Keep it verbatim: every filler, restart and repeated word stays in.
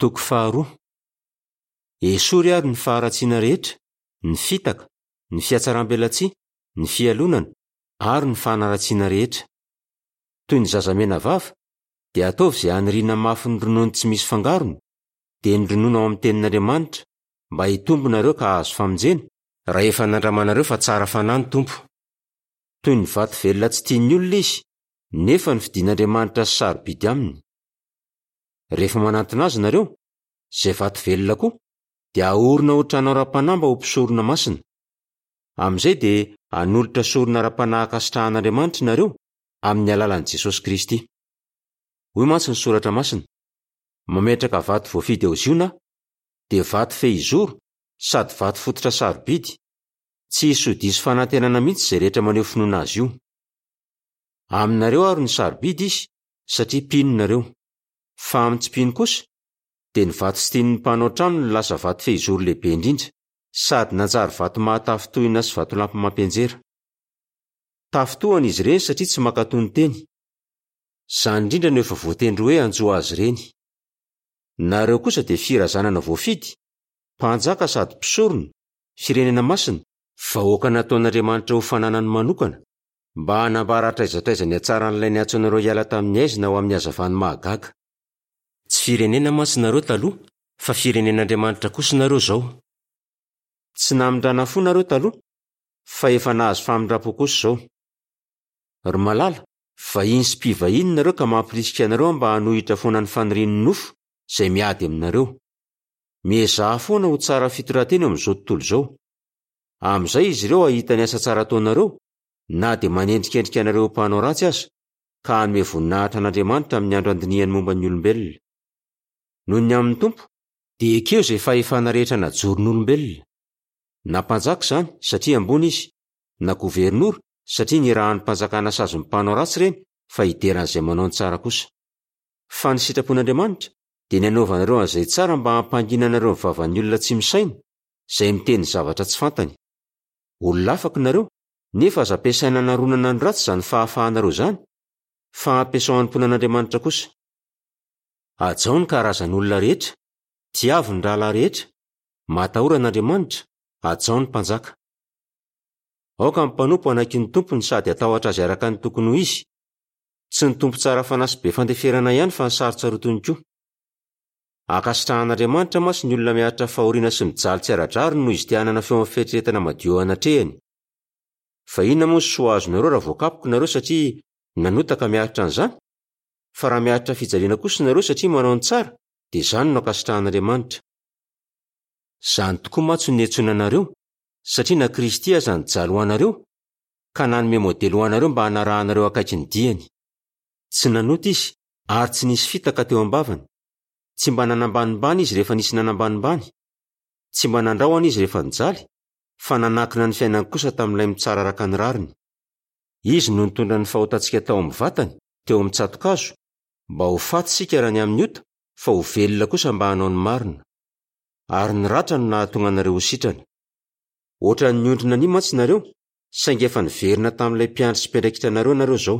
Toko faharoa. Esory àry ny faharatsiana rehetra, ny fitaka, ny fihatsaram-belatsihy, ny fialonana ary ny fanaratsiana rehetra. Toy ny zaza menavava, dia ataovy izay haniriana mafy ny ronono tsy misy fangarony, dia ny ronono ao amin'ny tenin'Andriamanitra, mba hitombo nareo ka hahazo famonjena, raha efa nandramanareo fa tsara fanahy ny Tompo. Toy ny vato velona tsy tian'ny olona izy, nefa nofidin'Andriamanitra sy sarobidy aminy. Rehefa manantona azy nareo, izay vato velona koa, dia ahorina ho trano ara-panahy mba ho mpisorona masina. Amin'izay dia hanolotra sorona ara-panahy ankasitrahan'Andriamanitra nareo amin'ny alalan'i Jesosy Kristy. Hoy mantsy ny soratra masina: mametraka vato voafidy ao Ziona aho, dia vato fehizoro sady vato fototra sarobidy. Tsy hisy ho diso fanantenana mihitsy izay rehetra maneho finoana azy io. Aminareo ary ny sarobidy izy satria mpino nareo. Fa amin'ny tsy mpino kosa, dia ny vato tsy tian'ny mpanao trano no lasa vato fehizoro lehibe indrindra, sady nanjary vato mahatafintohina sy vatolampy mampianjera. Tafintohana izy ireny satria tsy mankatò ny teny. Izany indrindra no efa voatendry hoe hanjo azy ireny. Nareo kosa dia firazanana voafidy, mpanjaka sady mpisorona, firenena masina, vahoaka nataon'Andriamanitra ho fananany manokana, mba hanambara hatraiza hatraiza ny hatsaran'ilay niantso anareo hiala tamin'ny haizina ho amin'ny hazavany mahagaga. Tsy firenena mantsy nareo taloha, fa firenen'Andriamanitra kosa nareo izao. Tsy namindrana fo nareo taloha, fa efa nahazo famindram-po kosa izao. Ry malala, vahiny sy mpivahiny nareo ka mampirisika anareo mba hanohitra foana ny fanirian'ny nofo izay miady aminareo. Miezaha foana ho tsara fitondran-tena eo amin'izao tontolo izao. Amin'izay izy ireo hahita ny asa tsara ataonareo, na dia manendrikendrika anareo ho mpanao ratsy aza, ka hanome voninahitra an'Andriamanitra amin'ny andro handinihany momba ny olombelona. Noho ny amin'ny Tompo, dia ekeo izay fahefana rehetra najoron'olombelona. Na mpanjaka izany, satria ambony izy, na governora, satria nirahan'ny mpanjakana sazy ny mpanao ratsy ireny, fa hideran'izay manao ny tsara kosa. Fa ny sitrapon'Andriamanitra dia ny hanaovanareo an'izay tsara mba hampanginanareo ny vavan'ny olona tsy misaina, izay miteny zavatra tsy fantany. Olona afaka nareo, nefa aza ampiasaina hanaronana ny ratsy izany fahafahanareo izany, fa ampiasao hanompoana an'Andriamanitra kosa. Hajao ny karazan'olona rehetra, tiavo ny rahalahy rehetra, matahora an'Andriamanitra, hajao ny mpanjaka. Aoka ny mpanompo hanaiky ny tompony sady hatahotra azy araka ny tokony ho izy. Tsy ny tompo tsara fanahy sy be fandeferana ihany fa ny sarotsarotiny koa. Ankasitrahan'Andriamanitra mantsy ny olona miaritra fahoriana sy mijaly tsy ara-drariny noho izy te hanana feo amin'ny fieritreretana madio eo anatrehany. Fa inona moa ny soa azonareo raha voakapoka nareo satria nanota ka miaritra an'izany? Fa raha miaritra fijaliana kosa nareo satria manao ny tsara, dia izany no ankasitrahan'Andriamanitra. Izany tokoa mantsy no niantsoana anareo, satria na Kristy aza nijaly ho anareo, ka nanome modely ho anareo mba hanarahanareo akaiky ny diany. Tsy nanota izy ary tsy nisy fitaka teo am-bavany. Tsy mba nanambanimbany izy rehefa nisy nanambanimbany. Tsy mba nandrahona izy rehefa nijaly, fa nanankina ny fiainany kosa tamin'ilay mitsara araka ny rariny. Izy no nitondra ny fahotantsika tao amin'ny vatany, teo amin'ny tsato-kazo, mba ho faty isika raha ny amin'ny ota, fa ho velona kosa mba hanao ny marina. Ary ny ratra no nahatonga anareo ho sitrana. Ohatran'ny ondry nania mantsy nareo, saingy efa niverina tamin'ilay mpiandry sy mpiandraikitra anareo nareo izao.